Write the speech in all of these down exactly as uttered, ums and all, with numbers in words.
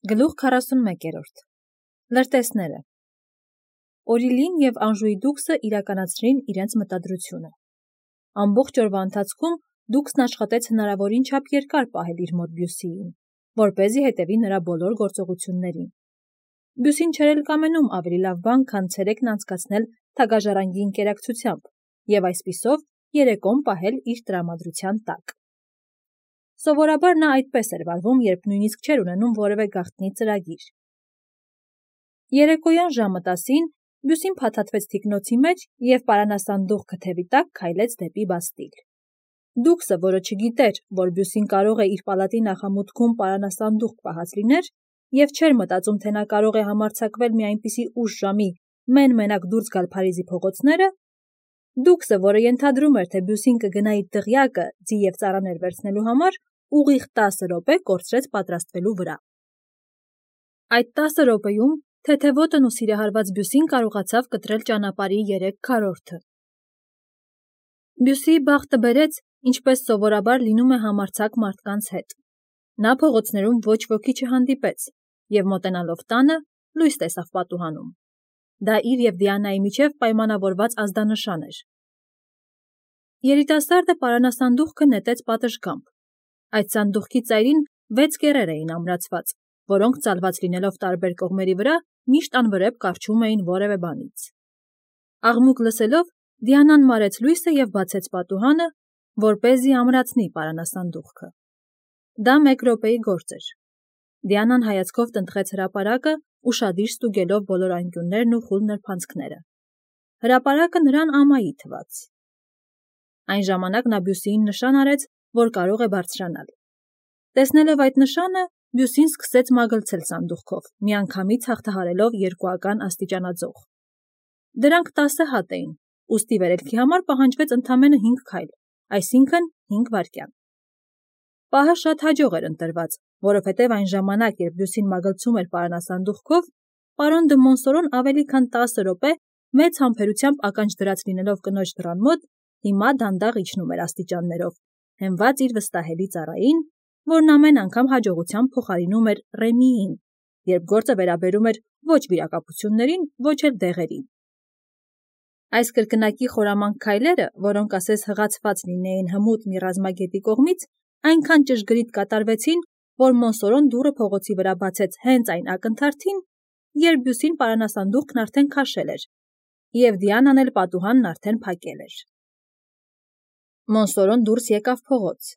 Գլուխ քառասունմեկերորդ Լրտեսները Օրիլին և Անժուի դուքսը իրականացրին իրենց մտադրությունը։ Ամբողջ օրվա ընթացքում դուքսն աշխատեց հնարավորին չափ երկար պահել իր մոտ Բյուսիին, որպեսզի հետևի նրա բոլոր գործողություններին։ Բյուսին չէր էլ կամենում ավելի լավ բան, քան ցերեկն անցկացնել թագաժառանգի ընկերակցությամբ և այսպիսով երեկոն պահել իր տրամադրության տակ։ Սովորաբար նա այդպես էր վարվում, երբ նույնիսկ չէր ունենում որևէ գաղտնի ծրագիր։ Երեկոյան ժամը տասին Բյուսին փաթաթվեց թիկնոցի մեջ և պարանասանդուղքը թևի տակ քայլեց դեպի Բաստիլ։ Դուքսը, որը չգիտեր, որ Բյուսին կարող է իր պալատի նախամուտքում պարանասանդուղք պահած լիներ, և չէր մտածում, թե նա կարող է համարձակվել մի այնպիսի ուշ ժամի մեն-մենակ դուրս գալ Փարիզի փողոցները, դուքսը, որը ենթադրում էր, թե Բյուսին կգնա իր դղյակը ձի և ծառաներ վերցնելու համար, ուղիղ տասը րոպե կորցրեց պատրաստվելու վրա։ Այդ տասը րոպեում թեթևոտն ու սիրահարված Բյուսին կարողացավ կտրել ճանապարհի երեք քառորդը։ Բյուսիի բախտը բերեց, ինչպես սովորաբար լինում է համարձակ մարդկանց հետ։ Նա փողոցներում ոչ ոքի չհանդիպեց և մոտենալով տանը լույս տեսավ պատուհանում։ Դա իր և Դիանայի միջև պայմանավորված ազդանշան էր։ Երիտասարդը պարանասանդուղքը նետեց պատշգամբ։ Այդ սանդուղքի ծայրին վեց կեռեր էին ամրացված, որոնք ծալված լինելով տարբեր կողմերի վրա, միշտ անվրեպ կառչում էին որևէ բանից։ Աղմուկ լսելով, Դիանան մարեց լույսը և բացեց պատուհանը, որպեսզի ամրացնի պարանասանդուղքը։ Դա մեկ րոպեի գործ էր։ Դիանան հայացքով տնտղեց հրապարակը, ուշադիր ստուգելով բոլոր անկյուններն ու խուլ նրբանցքները։ Հրապարակը նրան ամայի թվաց։ Այն ժամանակ նա Բյուսիին նշան արեց, որ կարող է բարձրանալ։ Տեսնելով այդ նշանը, Բյուսին սկսեց մագլցել սանդուղքով, միանգամից հաղթահարելով երկուական աստիճանաձող։ Դրանք տասը հատ էին, ուստի վերելքի համար պահանջվեց ընդամենը հինգ քայլ, այսինքն հինգ վայրկյան։ Պահը շատ հաջող էր ընտրված, որովհետև այն ժամանակ, երբ Բյուսին մագլցում էր պարանասանդուղքով, պարոն դը Մոնսորոն ավելի քան տասը րոպե մեծ համբերությամբ ականջ դրած լինելով կնոջ դռան մոտ, հիմա դանդաղ իջնում էր աստիճաններով, հենված իր վստահելի ծառային, որն ամեն անգամ հաջողությամբ փոխարինում էր Ռեմիին, երբ գործը վերաբերում էր ոչ վիրակապություններին, ոչ էլ դեղերին։ Այս կրկնակի խորամանկ քայլերը, որոնք ասես հղացված լինեին հմուտ մի ռազմագետի կողմից, այնքան ճշգրիտ կատարվեցին, որ Մոնսորոն դուռը փողոցի վրա բացեց հենց այն ակնթարթին, երբ Բյուսին պարանասանդուղքն արդեն քաշել էր, և Դիանան էլ պատուհանն արդեն փակել էր։ Մոնսորոն դուրս եկավ փողոց,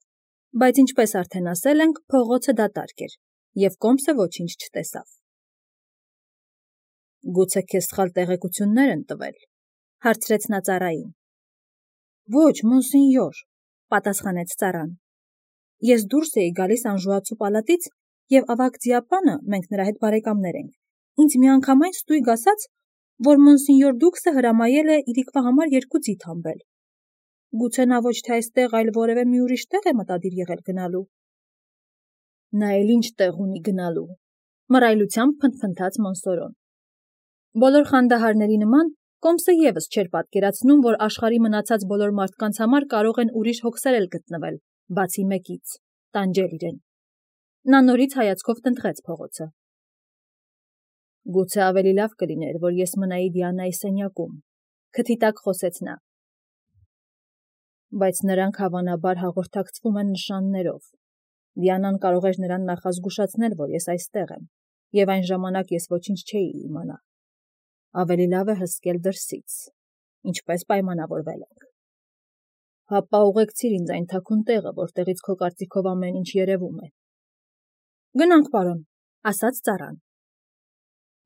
բայց ինչպես արդեն ասել ենք, փողոցը դատարկ էր, և կոմսը ոչինչ չտեսավ։ Գուցե քեզ սխալ տեղեկություններ են տվել, հարցրեց նա ծառային։ Ոչ, մոնսենյոր, պատասխանեց ծառան։ Ես դուրս էի գալիս Անժուացու պալատից, և ավագ ձիապանը, մենք նրա հետ բարեկամներ ենք, ինձ միանգամայն ստույգ ասաց, որ մոնսենյոր դուքսը հրամայել է իրիկվա համար երկու ձի թամբել։ Գուցե նա ոչ թե այստեղ, այլ որևէ մի ուրիշ տեղ է մտադիր եղել գնալու։ Նա էլ ինչ տեղ ունի գնալու, մռայլությամբ փնթփնթաց Մոնսորոն։ Բոլոր խանդահարների նման, կոմսը ևս չէր պատկերացնում, որ աշխարհի մնացած բոլոր մարդկանց համար կարող են ուրիշ հոգսեր էլ գտնվել, բացի մեկից՝ տանջել իրեն։ Նա նորից հայացքով տնտղեց փողոցը։ Գուցե ավելի լավ կլիներ, որ ես մնայի Դիանայի սենյակում, քթի տակ խոսեց նա։ Բայց նրանք հավանաբար հաղորդակցվում են նշաններով։ Դիանան կարող էր նրան նախազգուշացնել, որ ես այստեղ եմ, և այն ժամանակ ես ոչինչ չէի իմանա։ Ավելի լավ է հսկել դրսից, ինչպես պայմանավորվել ենք։ Հապա ուղեկցիր ինձ այն թաքուն տեղը, որտեղից քո կարծիքով ամեն ինչ երևում է։ Գնանք, պարոն, ասաց ծառան։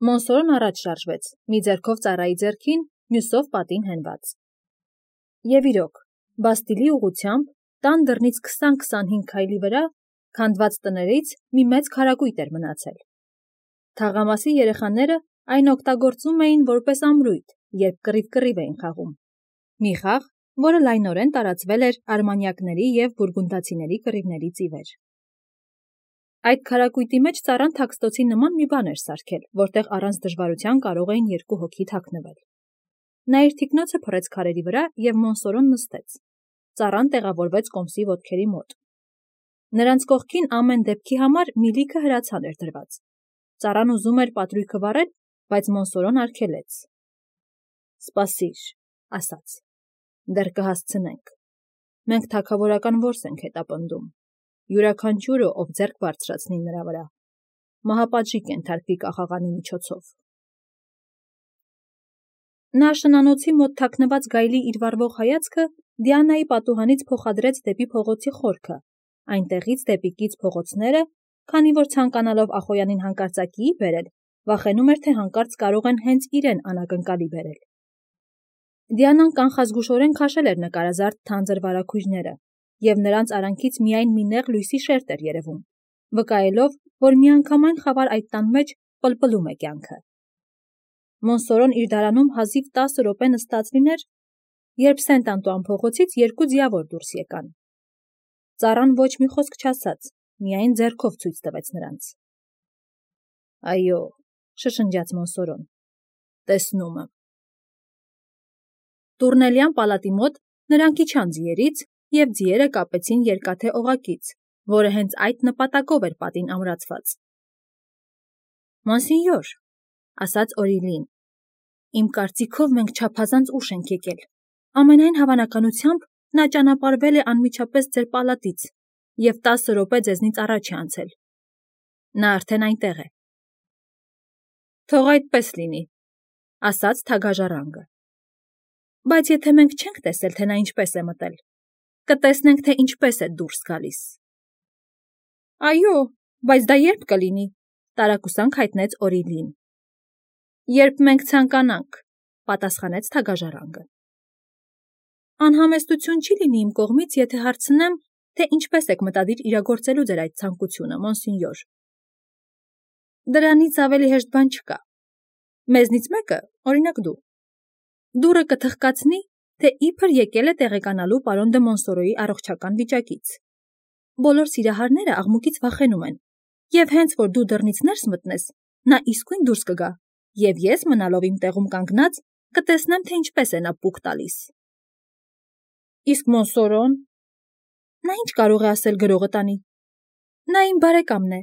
Մոնսորոն առաջ շարժվեց, մի ձեռքով ծառայի ձեռքին, մյուսով պատին հենված։ Եվ իրոք, Բաստիլի ուղղությամբ, տան դռնից քսան-քսանհինգ քայլի վրա, քանդված տներից մի մեծ քարակույտ էր մնացել։ Թաղամասի երեխաները այն օգտագործում էին որպես ամրույթ, երբ կռիվ-կռիվ էին խաղում։ Մի խաղ, որը լայնորեն տարածվել էր արմանյակների և բուրգունդացիների կռիվներից ի վեր։ Այդ քարակույտի մեջ ծառան թաքստոցի նման մի բան էր սարքել, որտեղ առանց դժվարության կարող էին երկու հոգի թաքնվել։ Նա իր թիկնոցը փռեց քարերի վրա և Մոնսորոն նստեց։ Ծառան տեղավորվեց կոմսի ոտքերի մոտ։ Նրանց կողքին ամեն դեպքի համար մի լիքը հրացան էր դրված։ Ծառան ուզում էր պատրույգը վառել, բայց Մոնսորոն արգելեց։ Սպասիր, ասաց, դեռ կհասցնենք։ Մենք թագավորական որս ենք հետապնդում, յուրաքանչյուրը, ով ձեռք բարձրացնի նրա վրա, մահապատժի կենթարկվի կախաղանի միջոցով։ Նա շնանոցի մոտ թաքնված գայլի իր վառվող հայացքը Դիանայի պատուհանից փոխադրեց դեպի փողոցի խորքը, այնտեղից դեպի կից փողոցները, քանի որ ցանկանալով Ախոյանին հանկարծակիի բերել, վախենում էր, թե հանկարծ կարող են հենց իրեն անակնկալի բերել։ Դիանան կանխազգուշորեն քաշել էր նկարազարդ թանձր վարագույրները, և նրանց արանքից միայն մի նեղ լույսի շերտ էր երևում, վկայելով, որ միանգամայն խավար այդ տան մեջ պլպլում է կյանքը։ Մոնսորոն իր դարանում հազիվ տասը րոպե նստած լիներ, երբ Սենտ-Անտուան փողոցից երկու ձիավոր դուրս եկան։ Ծառան ոչ մի խոսք չասաց, միայն ձեռքով ցույց տվեց նրանց։ Այո, շշնջաց Մոնսորոն, տեսնում եմ։ Տուրնելյան պալատի մոտ նրանք իջան ձիերից, և ձիերը կապեցին երկաթե օղակից, որը հենց այդ նպատակով էր պատին ամրացված։ Մոնսինյոր, ասաց Օրիլին, իմ կարծիքով մենք չափազանց ուշ ենք եկել։ Ամենայն հավանականությամբ նա ճանապարհվել է անմիջապես ձեր պալատից և տասը րոպե ձեզնից առաջ է անցել։ Նա արդեն այնտեղ է։ Թող այդպես լինի, ասաց թագաժառանգը։ Բայց եթե մենք չենք տեսել, թե նա ինչպես է մտել, կտեսնենք, թե ինչպես է դուրս գալիս։ Այո, բայց դա երբ կլինի, տարակուսանք հայտնեց Օրիլին։ Երբ մենք ցանկանանք, պատասխանեց թագաժառանգը։ Անհամեստություն չի լինի իմ կողմից, եթե հարցնեմ, թե ինչպես եք մտադիր իրագործելու ձեր այդ ցանկությունը, Մոնսինյոր։ Դրանից ավելի հեշտ բան չկա։ Մեզնից մեկը, օրինակ դու, դուռը կթխկացնի, թե իբր եկել է տեղեկանալու պարոն դը Մոնսորոյի առողջական վիճակից։ Բոլոր սիրահարները աղմուկից վախենում են, և հենց որ դու դռնից ներս մտնես, նա իսկույն դուրս կգա, և ես, մնալով իմ տեղում կանգնած, կտեսնեմ, թե ինչպես է նա պուկ տալիս։ Իսկ Մոնսորոն։ Նա ինչ կարող է ասել գրողը տանի։ Նա իմ բարեկամն է։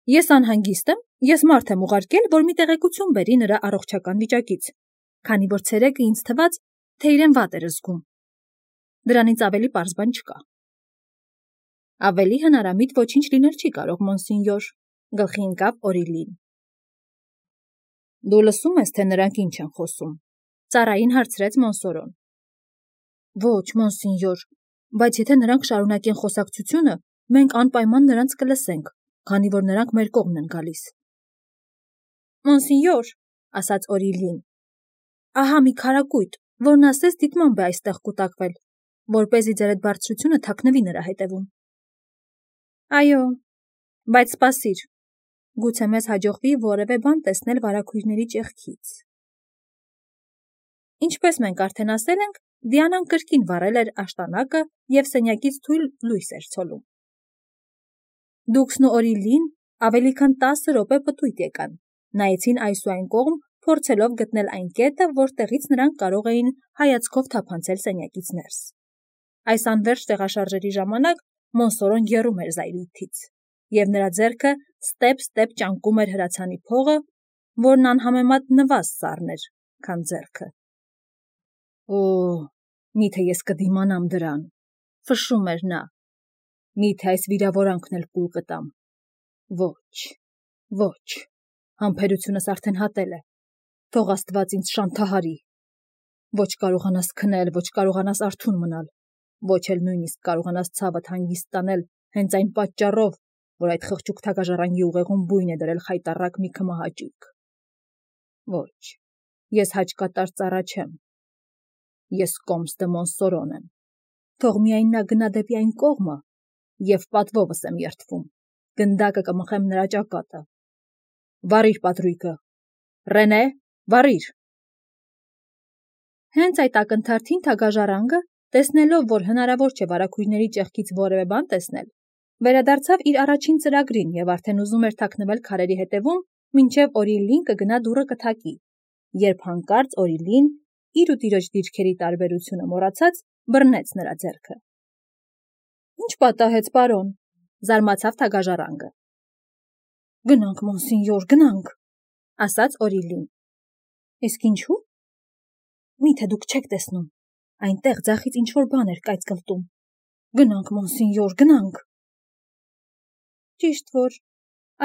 Ես անհանգիստ եմ, ես մարդ եմ ուղարկել, որ մի տեղեկություն բերի նրա առողջական վիճակից, քանի որ ցերեկը ինձ թվաց, թե իրեն վատ էր զգում։ Դրանից ավելի պարզ բան չկա։ Ավելի հնարամիտ ոչինչ լինել չի կարող, Մոնսինյոր, գլխի ընկավ Օրիլին։ Դու լսում ես, թե նրանք ինչ են խոսում, ծառային հարցրեց Մոնսորոն։ Ոչ, Մոնսինյոր, բայց եթե նրանք շարունակեն խոսակցությունը, մենք անպայման նրանց կլսենք, քանի որ նրանք մեր կողմն են գալիս։ Մոնսինյոր, ասաց Օրիլին, ահա մի քարակույտ, որն ասես դիտմամբ է այստեղ կուտակվել, որպեսզի ձեր այդ բարձրությունը թաքնվի նրա հետևում։ Այո, բայց սպասիր, գուցե մեզ հաջողվի որևէ բան տեսնել վարագույրների ճեղքից։ Ինչպես մենք արդեն ասել ենք, Դիանան կրկին վառել էր աշտանակը և սենյակից թույլ լույս էր ցոլում։ Դուքսն ու Օրիլին ավելի քան տասը րոպե պտույտ եկան, նայեցին այս ու այն կողմ, փորձելով գտնել այն կետը, որտեղից նրանք կարող էին հայացքով թափանցել սենյակից ներս։ Այս անվերջ տեղաշարժերի ժամանակ Մոնսորոն եռում էր զայրույթից, և նրա ձեռքը ստեպ-ստեպ ճանկում էր հրացանի փողը, որն անհամեմատ նվազ սառն էր, քան ձեռքը։ Օ, միթե ես կդիմանամ դրան, ֆշշում էր նա։ Միթե այս վիրավորանքն էլ կուլ կտամ։ Ոչ, ոչ, համբերությունս արդեն հատել է, թող Աստված ինձ շանթահարի։ Ոչ կարողանաս քնել, ոչ կարողանաս արթուն մնալ, ոչ էլ նույնիսկ կարողանաս ցավդ հանգիստ տանել հենց այն պատճառով, որ այդ խղճուկ թագաժառանգի ուղեղում բույն է դրել խայտառակ մի քմահաճույք։ Ոչ, ես հաճկատար ծառա չեմ։ Ես Կոմս դը Մոնսորոն եմ։ Թող միայն նա գնա դեպի այն կողմը, և պատվովս եմ երդվում, գնդակը կմխեմ նրա ճակատը։ Վառիր պատրույգը։ Ռենե, վառիր։ Հենց այդ ակնթարթին թագաժառանգը, տեսնելով, որ հնարավոր չէ վարագույրների ճեղքից որևէ բան տեսնել, վերադարձավ իր առաջին ծրագրին և արդեն ուզում էր թաքնվել քարերի հետևում, մինչև Օրիլին կգնա դուռը կթակի, երբ հանկարծ Օրիլին, իր ու տիրոջ դիրքերի տարբերությունը մոռացած, բռնեց նրա ձեռքը։ Ինչ պատահեց, պարոն, զարմացավ թագաժառանգը։ Գնանք, մոնսինյոր, գնանք, ասաց Օրիլին։ Իսկ ինչու՞։ Միթե դուք չեք տեսնում, այնտեղ ձախից ինչ-որ բան էր կայծկլտում։ Գնանք, մոնսինյոր, գնանք։ Ճիշտ որ,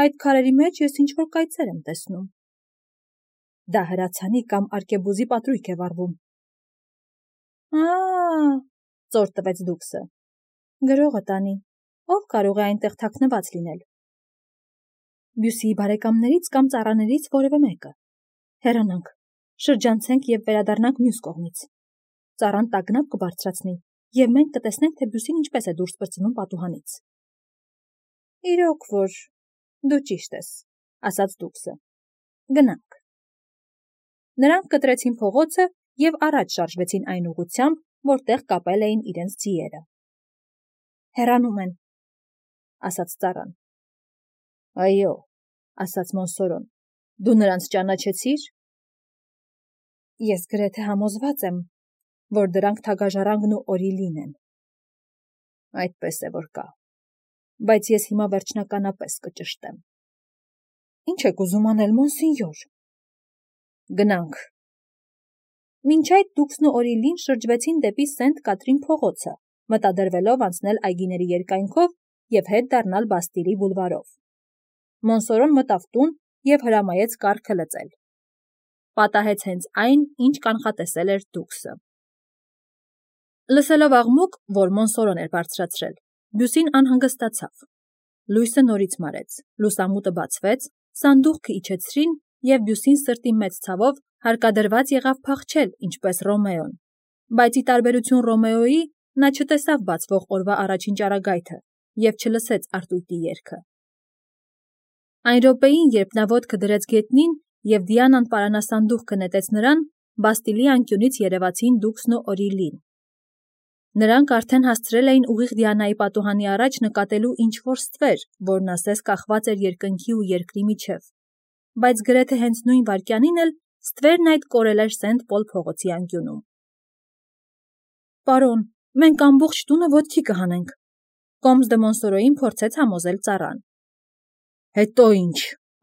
այդ քարերի մեջ ես ինչ-որ կայծեր եմ տեսնում։ Դա հրացանի կամ արկեբուզի պատրույք է վառվում։ Ա՜, ծոր տվեց Դուքսը։ Գրողը տանի, ով կարող է այնտեղ թաքնված լինել։ Բյուսիի բարեկամներից կամ ծառաներից որևէ մեկը։ Հեռանանք, շրջանցենք և վերադառնանք մյուս կողմից։ Ծառան տագնապ կբարձրացնի, և մենք կտեսնենք, թե Բյուսին ինչպես է դուրս պրծնում պատուհանից։ Իրոք որ, դու ճիշտ ես, ասաց Դուքսը։ Գնանք։ Նրանք կտրեցին փողոցը և առաջ շարժվեցին այն ուղղությամբ, որտեղ կապել էին իրենց ձիերը։ Հեռանում են, ասաց ծառան։ Այո, ասաց Մոնսորոն, դու նրանց ճանաչեցի՞ր։ Ես գրեթե համոզված եմ, որ դրանք թագաժառանգն ու Օրիլին են։ Այդպես է որ կա, բայց ես հիմա վերջնականապես կճշտեմ։ Ինչ եք ուզում անել, մոնսինյոր։ Գնանք։ Մինչ այդ Դուքսն ու Օրիլին շրջվեցին դեպի Սենտ Կատրին փողոցը, մտադրվելով անցնել այգիների երկայնքով և հետ դառնալ Բաստիլի բուլվարով։ Մոնսորոն մտավ տուն և հրամայեց կառքը լծել։ Պատահեց հենց այն, ինչ կանխատեսել էր Դուքսը։ Լսելով աղմուկ, որ Մոնսորոն էր բարձրացրել, Բյուսին անհանգստացավ։ Լույսը նորից մարեց, լուսամուտը բացվեց, սանդուղքը իջեցրին, և Բյուսին սրտի մեծ ցավով հարկադրված եղավ փախչել, ինչպես Ռոմեոն, բայց ի տարբերություն Ռոմեոյի, նա չտեսավ բացվող օրվա առաջին ճառագայթը և չլսեց արտույտի երգը։ Այն րոպեին, երբ նա ոտքը դրեց գետնին և Դիանան պարանասանդուղքը նետեց նրան, Բաստիլի անկյունից երևացին Դուքսն ու Օրիլին։ Նրանք արդեն հասցրել էին ուղիղ Դիանայի պատուհանի առաջ նկատելու ինչ-որ ստվեր, որն ասես կախված էր երկնքի ու երկրի միջև, բայց գրեթե հենց նույն վայրկյանին էլ ստվերն այդ կորել էր Սենտ Պոլ փողոցի անկյունում։ Պարոն, մենք ամբողջ տունը ոտքի կհանենք, Կոմս դը Մոնսորոյին փորձեց համոզել ծառան։ Հետո ինչ,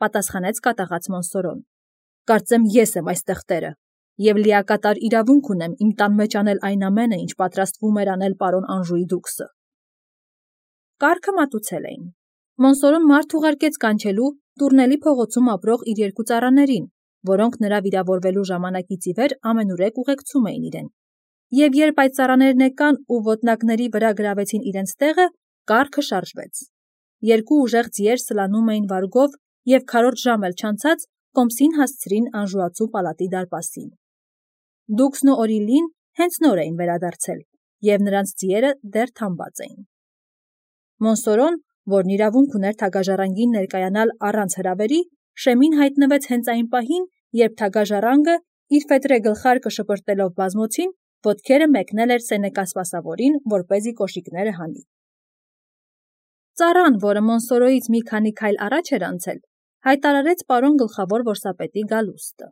պատասխանեց կատաղած Մոնսորոն։ Կարծեմ ես եմ այստեղ տերը, և լիակատար իրավունք ունեմ իմ տան մեջ անել այն ամենը, ինչ պատրաստվում էր անել պարոն Անժուի Դուքսը։ Կառքը մատուցել էին։ Մոնսորոն մարդ ուղարկեց կանչելու Տուրնելի փողոցում ապրող իր երկու ծառաներին, որոնք նրա վիրավորվելու ժամանակից ի վեր ամենուրեք ուղեկցում էին իրեն։ Եվ երբ այդ ծառաներն եկան ու ոտնակների վրա գրավեցին իրենց տեղը, կառքը շարժվեց։ Երկու ուժեղ ձիեր սլանում էին վարգով և քառորդ ժամ էլ չանցած Կոմսին հասցրին Անժուացու պալատի դարպասին։ Դուքսն ու Օրիլին հենց նոր էին վերադարձել, և նրանց ձիերը դեռ թամբած էին։ Մոնսորոն, որն իրավունք ուներ թագաժառանգին ներկայանալ առանց հրավերի, շեմին հայտնվեց հենց այն պահին, երբ թագաժառանգը, իր ֆետրե գլխարկը շպրտելով բազմոցին, ոտքերը մեկնել էր Սենեկա սպասավորին, որպեսզի կոշիկները հանի։ Ծառան, որը Մոնսորոյից մի քանի քայլ առաջ էր անցել, հայտարարեց պարոն գլխավոր որսապետի գալուստը։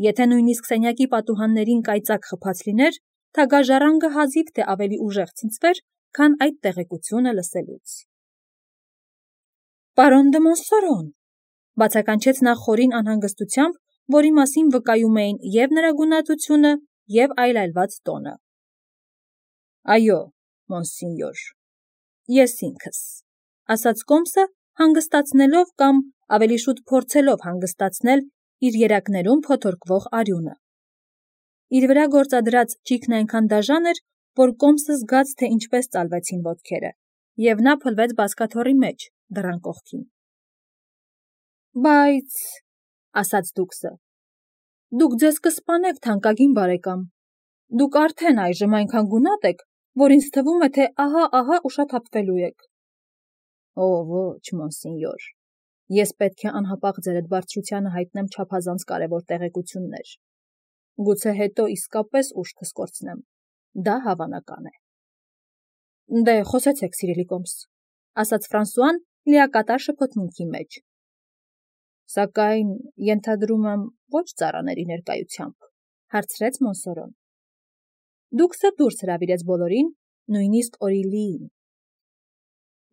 Եթե նույնիսկ սենյակի պատուհաններին կայծակ խփած լիներ, թագաժառանգը հազիվ թե ավելի ուժեղ ցնցվեր, քան այդ տեղեկությունը լսելուց։ Պարոն դը Մոնսորոն, բացականչեց նա խորին անհանգստությամբ, որի մասին վկայում էին և նրա գունատությունը, և այլայլված տոնը։ Այո, մոնսինյոր, ես ինքս, ասաց Կոմսը, հանգստացնելով կամ ավելի շուտ փորձելով հանգստացնել իր երակներում փոթորկվող արյունը։ Իր վրա գործադրած ճիգն այնքան դաժան էր, որ Կոմսը զգաց, թե ինչպես ծալվեցին ոտքերը, և նա փլվեց բազկաթոռի մեջ, դռան կողքին։ Բայց, ասաց Դուքսը, դուք ձեզ կսպանեք, թանկագին բարեկամ, դուք արդեն այժմ այնքան գունատ եք, որ ինձ թվում է, թե ահա-ահա ուշաթափվելու եք։ Օ, ոչ, մոնսինյոր, ես պետք է անհապաղ ձեր այդ բարձրությանը հայտնեմ չափազանց կարևոր տեղեկություններ։ Գուցե հետո իսկապես ուժ կսկորցնեմ, դա հավանական է։ Դե, խոսեցեք, սիրելի Կոմս, ասաց Ֆրանսուան լիակատար շփոթմունքի մեջ։ Սակայն, ենթադրում եմ, ոչ ծառաների ներկայությամբ, հարցրեց Մոնսորոն։ Դուքսը դուրս հրավիրեց բոլորին, նույնիսկ Օրիլիին։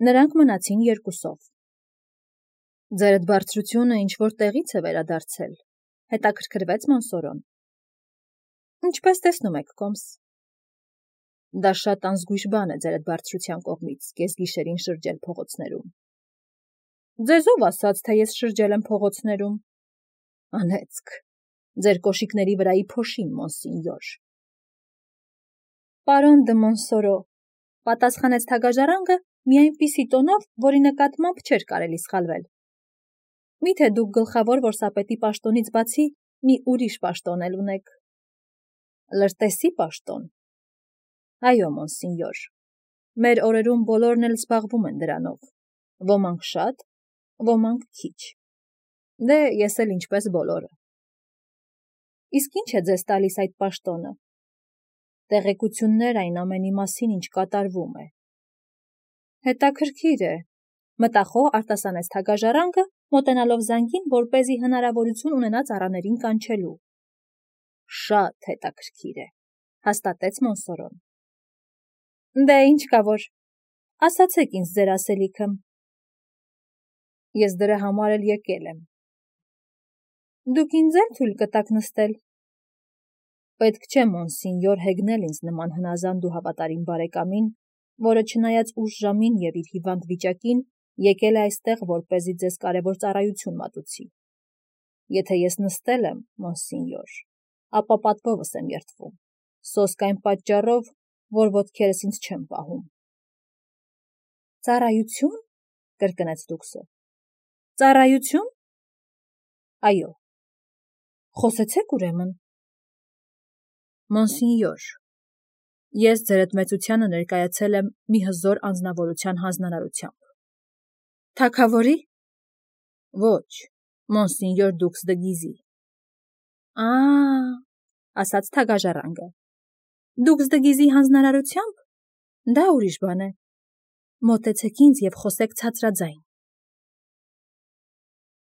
Նրանք մնացին երկուսով։ Ձերդ բարձրությունը ինչ-որ տեղից է վերադարձել, հետաքրքրվեց Մոնսորոն։ Ինչպես տեսնում եք, կոմս։ Դա շատ անզգույշ բան է ձերդ բարձրության կողմից կեսգիշերին շրջել փողոցներում։ Ձեզով ասաց, թե ես շրջել եմ փողոցներում։ Անեծք, ձեր կոշիկների վրայի փոշին, մոնսինյոր։ Պարոն դը Մոնսորո, պատասխանեց թագաժարանգը մի այնպիսի տոնով, որի նկատմամբ չէր կարելի սխալվել։ Միթե դուք գլխավոր որսապետի պաշտոնից բացի մի ուրիշ պաշտոն էլ ունեք։ Լրտեսի պաշտոն։ Այո, մոնսինյոր, մեր օրերում բոլորն էլ զբաղվում են դրանով, ոմանք շատ, ոմանք քիչ։ Դե ես էլ ինչպես բոլորը։ Իսկ ինչ է ձեզ տալիս այդ պաշտոնը։ Տեղեկություններ այն ամենի մասին, ինչ կատարվում է։ Հետաքրքիր է, մտախոհ արտասանեց թագաժարանգը, մոտենալով զանգին, որպեսզի հնարավորություն ունենա ծառաներին կանչելու։ Շատ հետաքրքիր է, հաստատեց Մոնսորոն։ Դե ինչ կա որ, ասացեք ինձ ձեր ասելիքը։ Ես դրա համար էլ եկել եմ։ Դուք ինձ էլ թույլ կտաք նստել։ Պետք չէ մոնսինյոր հեգնել ինձ նման հնազանդ ու հավատարիմ բարեկամին, որը չնայած ուշ ժամին և իր հիվանդ վիճակին եկել է այստեղ, որպեսզի ձեզ կարևոր ծառայություն մատուցի։ Եթե ես նստել եմ, մոնսինյոր, ապա պատվովս եմ երդվում, սոսկ այն պատճառով, որ ոտքերս ինձ չեմ պահում։ Ծառայություն, կրկնեց դուքսը։ Ծառայություն։ Այո։ Խոսեցեք ուրեմն։ Մոնսինյոր, ես ձերդ մեծությանը ներկայացել եմ մի հզոր անձնավորության հանձնարարությամբ։ Թագավորի։ Ոչ, մոնսինյոր դուքս դը Գիզի։ Ա, ասաց թագաժարանգը։ Դուքս դը Գիզի հանձնարարությամբ։ Դա ուրիշ բան է։ Մոտեցեք ինձ և խոսեք ցածրաձայն։